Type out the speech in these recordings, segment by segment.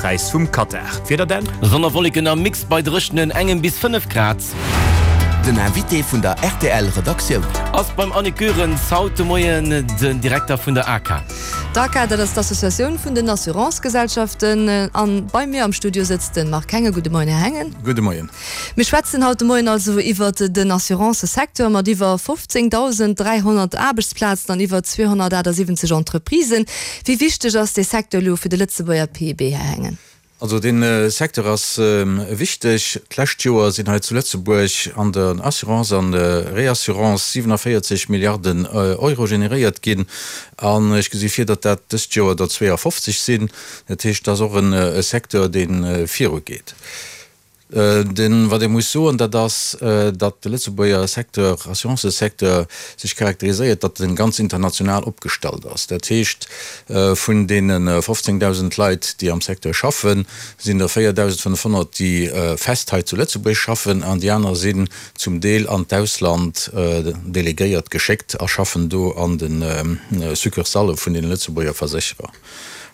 Präis vum Katar. D'Wieder Dan? Sonn a Wolleken am Mix bei dréchenen engem bis 5 Grad. Den Invité vun der rtl Redaktioun. Ass beim Annick Goerens haut de Moien den Direkter vun der ACA. D'ACA, dat ass d'Associatioun vun den Assurancegesellschaften. An bei mir am Studio sëtzt de Marc Hengen. Gudde Moien, Här Hengen. Gudde Moien. Mir schwätzen haut de Moien also iwwert den Assurancesecteur mat iwwer 15.300 Aarbechtsplazen an iwwer 278 Entreprisen. Wéi wichteg ass dee Secteur elo fir de Lëtzebuerger PIB, Här Hengen? Also dee Secteur ass wichteg. D'lescht Joer sinn hei zu Lëtzebuerg an der Assurance an der Reassurance 47 Milliarden Euro generéiert ginn. An ech gesi vir, datt dat dëst Joer der 52 sinn. Dat heescht, et ass och e Secteur, dee virugeet. Den, wat ee muss soen, dat ass, datt de Lëtzebuerger Secteur, Assurancësecteur, sech charakteriséiert, datt en ganz international opgestallt ass. Dat heescht, vun deene 15.000 Leit, déi am Secteur schaffen, sinn der 4.500, déi fest hei zu Lëtzebuerg schaffen, an déi aner sinn zum Deel an d'Ausland delegéiert, geschéckt a schaffen do an de Succursalle vun deene Lëtzebuerger Versécherer.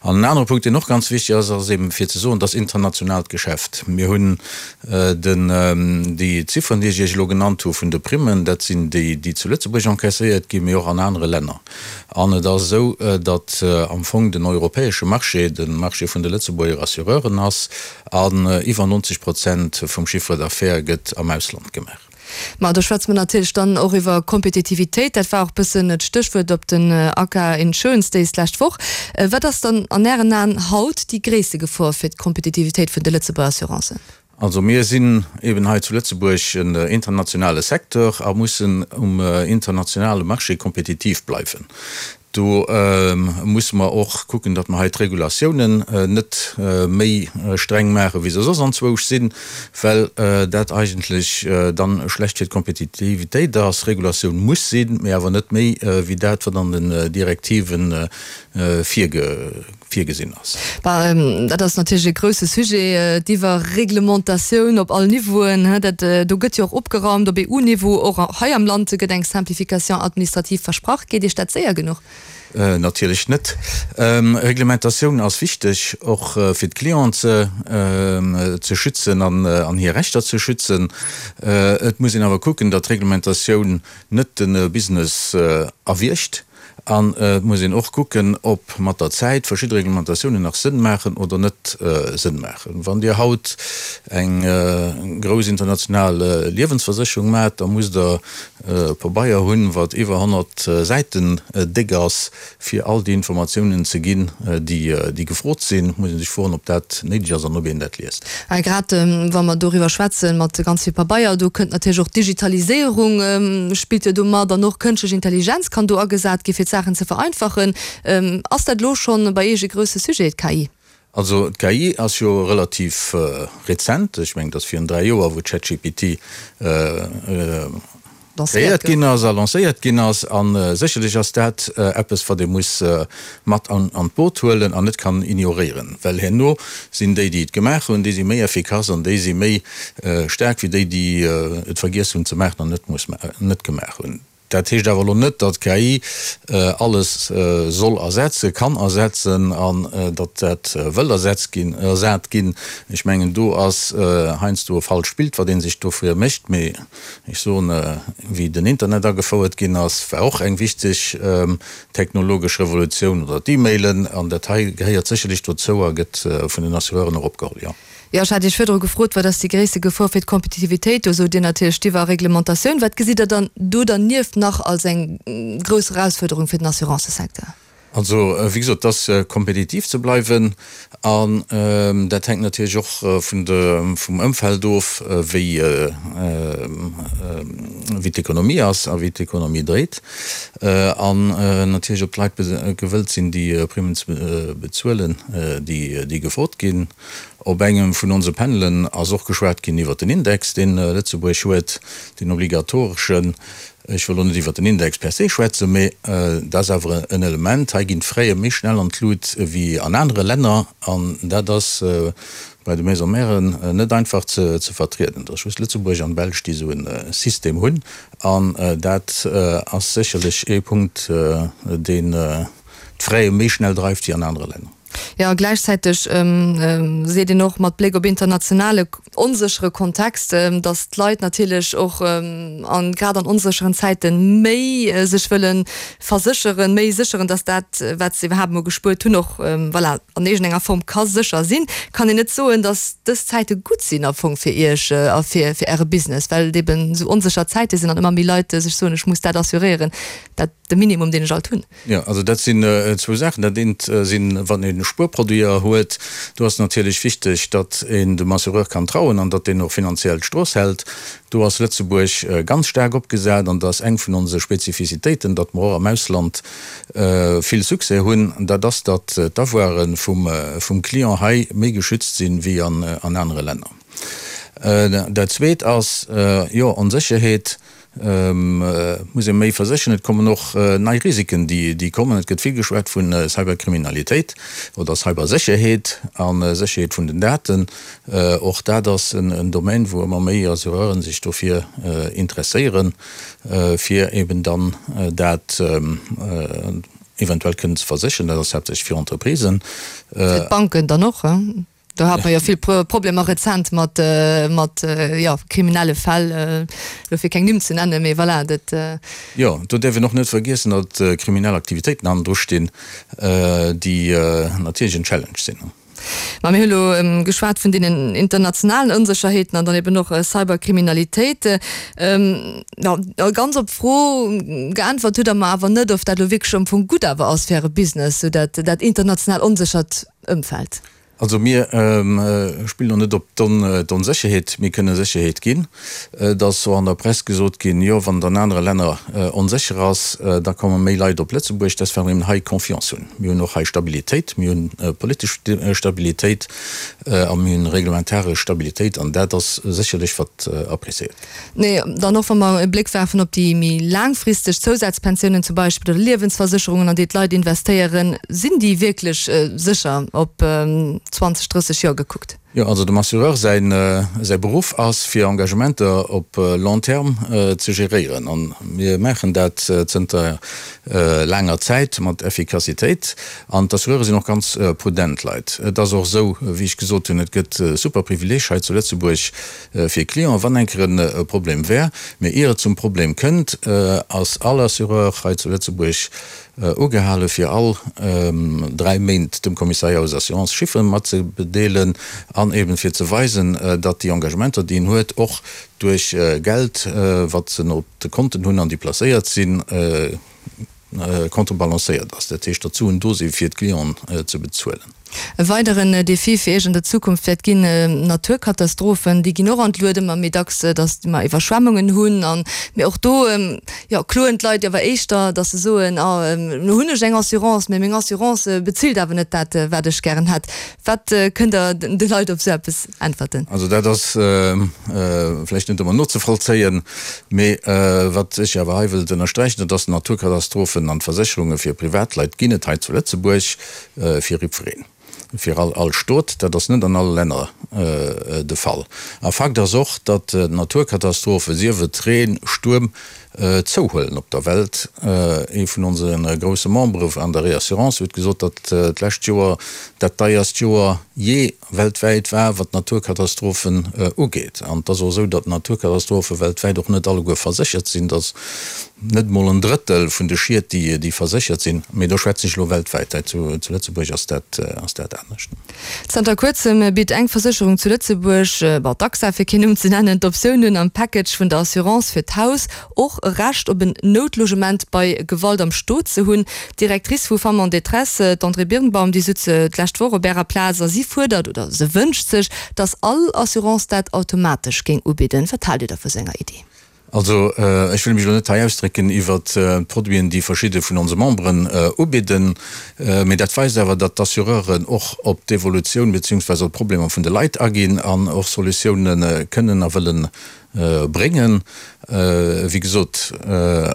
An en anere Punkt, deen och ganz wichtig ass, ass eben fir ze soen, dass internationaalt Geschäft. Mir hunn den, déi Zifferen, déi ech Iech elo genannt hu vun de Primmen, dat sinn déi, déi zu Lëtzebuerg encaisséiert ginn, mee och an anere Länner. An et ass esou, datt am Fong den europäesche Marché de Marché vun de Lëtzebuerger Assureuren ass an iwwer 90 Prozent vum Chiffre d'affaires gëtt am Ausland gemaach. Ma do schwätze mer natierlech dann och iwwer Kompetitivitéit. Dat war och bëssen d'Stéchwuert op den ACA Insurance Days d'lescht Woch. Wat ass dann an Ären Aen haut déi gréisste Gefor fir d'Kompetitivitéit vun de Lëtzebuerger Assurancen? Also mir sinn eben hei zu Lëtzebuerg en internationale Secteur a mussen um internationale Marché kompetitiv bleiwen. Do musse mer och kucken, datt mer hei d'Regulatiounen net méi streng maachen, wéi se soss anzwousch sinn, well dat eigentlech dann schlecht fir d'Kompetitivitéit ass. Regulatioun muss sinn, mee awer net méi wéi dat, wat an den Direktive virgesinn ass. Bah, dat ass natierlech e grouse Sujet, d'Iwwerreglementatioun op all Niveauen. Dat do gëtt jo och opgeraumt op EU-Niveau. Och hei am Land gëtt eng Simplification administrative versprach. Geet Iech dat séier genuch? Natierlech net. Reglementatioun ass wichteg, och fir d'Clienten ze schützen an hir Rechter ze schützen. Et muss een awer kucken, datt d'Reglementatioun net de Business erwiergt. An et muss een och kucken, ob mat der Zäit verschidde Reglementatiounen nach Sënn maachen oder net Sënn maachen. Wann Dir haut eng grouss international Liewensversécherung maacht, da musst Der e Pabeier hunn, wat iwwer 100 Säiten déck ass, fir all déi Informatiounen ze ginn, déi gefrot sinn. Et muss ee sech froen, ob dat néideg ass an ob een dat liest. A grad wa mer doriwwer schwätzen, mat ganz vill Pabeier, do kënnt natierlech och d'Digitaliséierung spillt jo do mat an och kënschtlech Intelligenz kann do agesat gi fir d'Saachen ze vereinfachen. Ass dat elo schonn bei Iech e grousse Sujet, d'KI? Also d'KI ass jo relativ rezent, ech mengen et ass virun 3 Joer wou ChatGPT kreéiert ginn ass a lancéiert ginn ass. A sécherlech ass dat eppes wat ee muss mat an d'Boot huelen an net kann ignoréieren, well herno sinn déi déi et gemaach hunn, déi si méi effikass an déi si méi staark wéi déi déi et vergiess hunn ze maachen an net gemaach hunn. Dat heescht awer elo net, datt KI alles soll ersetzen, kann ersetzen an datt dat wëll ersetzt ginn, ersat ginn. Ech mengen, do ass heiansdo e falscht Bild, wat ee sech dovir mécht. Mee ech soen, wéi den Internet agefouert ginn ass, war och eng wichteg technologesch Revolutioun, oder d'E-Mailen. An dat hei gehéiert sécherlech dozou a gëtt vun den Assureuren och opgeholl, jo. Jo, ech hat Iech virdru gefrot, wat ass déi gréisste Gefor fir d'Kompetitivitéit? Do sot Dir natierlech d'Iwwerreglementatioun. Wat gesitt Der dann do dernieft nach als eng grouss Erausfuerderung fir den Assurancesecteur? Also, wéi gesot, et ass kompetitiv ze bleiwen an dat hänkt natierlech och vun de, vum Ëmfeld of, wéi, wéi d'Ekonomie ass a wéi d'Ekonomie dréit an natierlech ob d'Leit gewëllt sinn, déi Primmen ze bezuelen, déi, déi gefrot ginn. Op engem vun onse Panelen ass och geschwat ginn iwwert den Index, deen Lëtzebuerg huet, deen obligatoreschen. Ech wëll elo net iwwert den Index per se schwätzen, mee dat ass awer en Element. Hei ginn d'Fraie méi schnell an d'Lut wéi an anere Länner an dat ass bei de Maisons mèren net einfach ze vertrieden. Et ass just Lëtzebuerg an d'Belsch, déi esou e System hunn an dat ass sécherlech ee Punkt, deen d'Fraie méi schnell dreift wéi an anere Länner. Jo, a gläichzäiteg seet een och mat Bléck op internationale onséchere Kontext, datt d'Leit natierlech och an grad an onsécheren Zäite méi sech wëlle versécheren, méi sécheren, datt dat, wat se iwwerhaapt emol gespuert hunn, och voilà an iergendenger Form ka sécher sinn. Kann een net soen, datt dës Zäite gutt sinn am Fong fir Iech a fir Äre Business, well et eben esou onsécher Zäite sinn an ëmmer méi Leit sech soen, ech muss dat assuréieren, dat de Minimum, deen ech alt hunn. Jo, also dat sinn zwou Saachen. Dat eent sinn, wann ee Spuerproduiter huet, do ass natierlech wichteg, datt een dem Assureur kann trauen an datt deen och finanziell d'Strooss hält. Do ass Lëtzebuerg ganz staark opgesat an dat ass eng vun onse Spezifizitéiten, datt mer och am Ausland vill Succès hunn, dat ass, datt d'Avoire vum Client hei méi geschützt sinn wéi an anere Länner. Dat Zweet ass, jo, Onsécherheet. Muss ee méi versécheren. Et kommen och nei Risiken, déi kommen. Et gëtt vill geschwat vu Cyberkriminalitéit oder Cybersécherheet a Sécherheet vun den Daten. Och dat ass en Domaine, wou ëmmer méi Assureuren sech dofir interesséieren, fir eben dann dat eventuell kënnen ze versécheren. Dat ass haaptsächlech fir Entreprisen. Fir d'Banken dann och. Do hat mer jo vill Problemer rezent mat, mat, jo, kriminelle Fäll, elo fir keng Nimm ze nennen, mee voilà, dat. Jo, do däerf een och net vergiessen, datt kriminell Aktivitéiten hannendru stinn, déi natierlech en Challenge sinn. Ma mir hu elo geschwat vun deenen internationalen Onsécherheeten an dann eben och Cyberkriminalitéit. Jo, ganz op d'Fro geäntwert hutt Der mer awer net, ob dat elo wierklech am Fong gutt awer ass fir Äre Business, sou dat, dat international onséchert Ëmfeld. Also mir spillen och net op d'Onsécherheet. Mir kënne Sécherheet ginn. Et ass och an der Press gesot ginn, jo wann et an anere Länner onsécher ass, da komme méi Leit op Lëtzebuerg. Dat ass well mir eben hei Confiance hunn. Mir hunn och hei Stabilitéit, mir hunn politesch Stabilitéit a mir hunn reglementaresch Stabilitéit an dat ass sécherlech wat appréciéiert gëtt. Nee, dann och wa mer e Bléck werfen op déi méi laangfristeg Zousazpensiounen zum Beispill oder Liewensversécherungen, an déi d'Leit investéieren, sinn déi wierklech sécher op 20, 30 Joer gekuckt? Jo, also dem Assureur säin säi Beruff ass, fir Engagementer op long terme ze geréieren. An mir maachen dat zënter laanger Zäit mat Effikassitéit. An d'Assureure sinn och ganz prudent Leit. Et ass och esou, wéi ech gesot hunn, et gëtt super Privileeg hei zu Lëtzebuerg, fir Clienten, wann eng Kéier e Problem wär. Mee ier et zum Problem kënnt, ass all Assureur hei zu Lëtzebuerg ugehale fir all 3 Méint dem Commissariat aux Assurances Chiffere matzedeelen an eben fir ze weisen, datt déi Engagementer, déi en huet, och duerch Geld, wat se op de Konten hunn an déi placéiert sinn, contrebalancéiert ass, dat heescht, datt d'Suen do si fir d'Clienten ze bezuelen. E weideren Defi fir Iech an der Zukunft wäert ginn, Naturkatastrophen. Déi ginn och an d'Lued ëmmer méi dacks, datt mer Iwwerschwemmungen hunn. An, mee och do, jo, kloen d'Leit awer éischter, datt se soen, ah, elo hunn ech eng Assurance, mee meng Assurance bezilt awer net dat, wat ech gären hätt. Wat kënnt Der de Leit op esou eppes äntwerten? Also dat ass vläicht net ëmmer nozevollzéien, mee wat ech awer hei wëllt ënnersträichen, dat ass, Naturkatastrophen an d'Versécherunge fir Privatleit ginn et hei zu Lëtzebuerg fir jiddwereen, fir all Stot. Dat ass net an alle Länner de Fall. A Fakt ass och, datt Naturkatastrophen, sief et Reen, Stuerm, zouhuelen op der Welt. Ee vun onse grousse Membere an der Reassurance huet gesot, datt d'lescht Joer dat deierst Joer jee weltwäit war, wat d'Naturkatastrophen ugeet. An et ass och esou, datt d'Naturkatastrophe weltwäit och net alleguer verséchert sinn. Et ass net emol en Drëttel vun de Schied, déi verséchert sinn. Mee do schwätzen ech elo weltwäit. Hei zu Lëtzebuerg ass dat anescht. Zanter kuerzem bitt eng Versécherung zu Lëtzebuerg, bon d'AXA fir keen Numm ze nennen, d'Optioun un, am Package vun der Assurance fir d'Haus och e Recht op en Noutlogement bei Gewalt am Stot ze hunn. D'Directrice vu Femmes en détresse, d'Andrée Birnbaum, déi sutz d'lescht Woch op Ärer Plaz a si fuerdert oder se wënscht sech, datt all Assurance dat automatesch géing ubidden. Wat haalt Dir da vu sou enger Iddi? Also, ech wëll mech elo net hei ausdrécken iwwert d'Produiten, déi verschidde vun onse Memberen ubidden, mee dat weist awer, datt d'Assureuren och op d'Evolutioun beziehungsweise op d'Problemer vun de Leit aginn an och Solutioune kënnen a wëlle bréngen. Wéi gesot,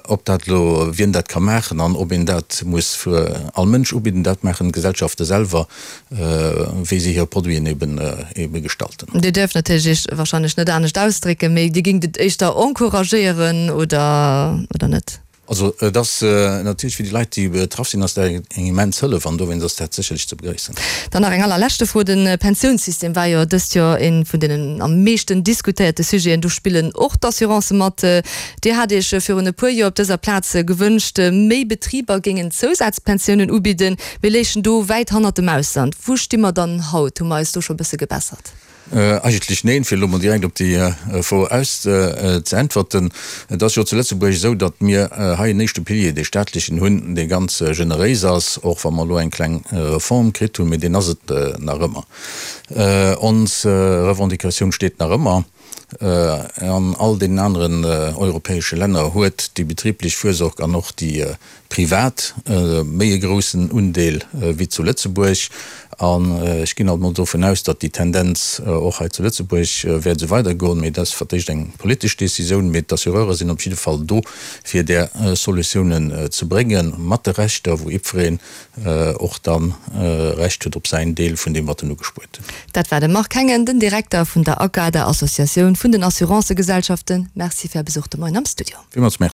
ob dat elo, wien dat ka maachen an ob een dat muss fir all Mënsch ubidden, dat maachen d'Gesellschafte selwer. wéi se hir Produiten eben ebe gestalten. Dir däerft natierlech Iech wahrscheinlech net anescht ausdrécken, mee Dir géingt et éischter encouragéieren oder oder net? Also et ass natierlech fir déi Leit, déi betraff sinn, ass dat eng immens Hëllef an dowéinst ass dat sécherlech ze begréissen. Dann nach eng allerleschte Fro, De Pensiounssystem war jo dëst Joer ee vun deenen am meeschten diskutéierte Sujeten. Do spillen och d'Assurancë mat. Dir hat Iech virun e puer Joer op dëser Plaz gewënscht, méi Betriber géingen Zousazpensiounen ubidden. Mir léichen do wäit hannert dem Ausland. Wou sti mer dann haut? Hu mer eis do scho e bësse gebessert? Eigentlech neen, fir elo mol direkt op déi Fro aus ze äntwerten. Et ass jo zu Lëtzebuerg esou, datt mir hei en éischte Pilier, dee staatlechen, hunn, dee ganz generéis ass, och wa mer elo eng kleng Reform kritt hunn, mee deen ass et nach ëmmer. Ons Revendicatioun steet nach ëmmer. An all deenen aneren europäesche Länner huet déi betriblech Fürsorg an och déi privat méi e groussen Undeel wéi zu Lëtzebuerg. An ech ginn alt mol dovun aus, datt déi Tendenz och hei zu Lëtzebuerg wäert esou weidergoen. Mee dat ass fir d'éischt eng politesch Décisioun. Mee d'Assureure sinn op jidde Fall do, fir där Solutiounen ze bréngen, mat de Rechter, wou jiddwereen och da Recht huet op säin Deel vun deem, wat en ugespuert huet. Dat war de Marc Hengen, den Direkter vun der ACA, der Associatioun vun den Assurancëgesellschaften. Merci fir Är Besuch de Moien am Studio. Villmools Merci.